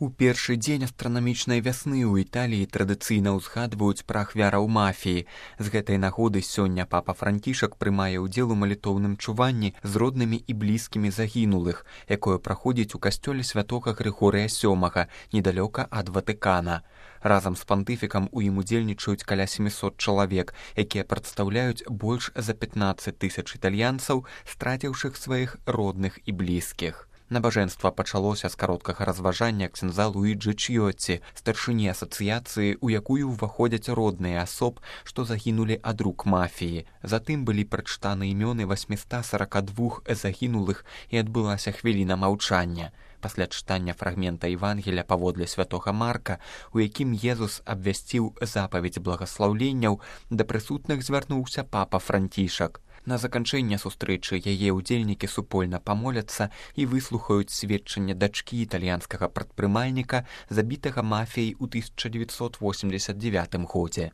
У першы дзень астранамічнай вясны ў Італіі традыцыйна ўзгадваюць пра ахвяраў мафіі. З гэтай нагоды сёння папа Францішак прымае ўдзел у малітоўным чуванні з роднымі і блізкімі загінулых, якое праходзіць у касцёле святога Грыгорыя Сёмага, недалёка ад Ватыкана. Разам з пантыфікам у ім удзельнічаюць каля 700 чалавек, якія прадстаўляюць больш за 15 тысяч італьянцаў, страціўшых сваіх родных і блізкіх. Набажэнства пачалося з кароткага разважання ксяндза Луіджы Чьёці, старшыні асацыяцыі, у якую ўваходзяць родныя асоб, што загінулі ад рук мафіі. Затым былі прачытаны імёны 842 загінулых і адбылася хвіліна маўчання. Пасля чытання фрагмента Евангелія паводле святога Марка, у якім Езус абвясціў запаведь благаслаўленняў, да прысутных звярнуўся папа Францішак. На заканчэнне сустрэчы яе ўдзельнікі супольна памоляцца і выслухаюць сведчанне дачкі італьянскага прадпрымальніка, забітага мафіяй у 1989 годзе.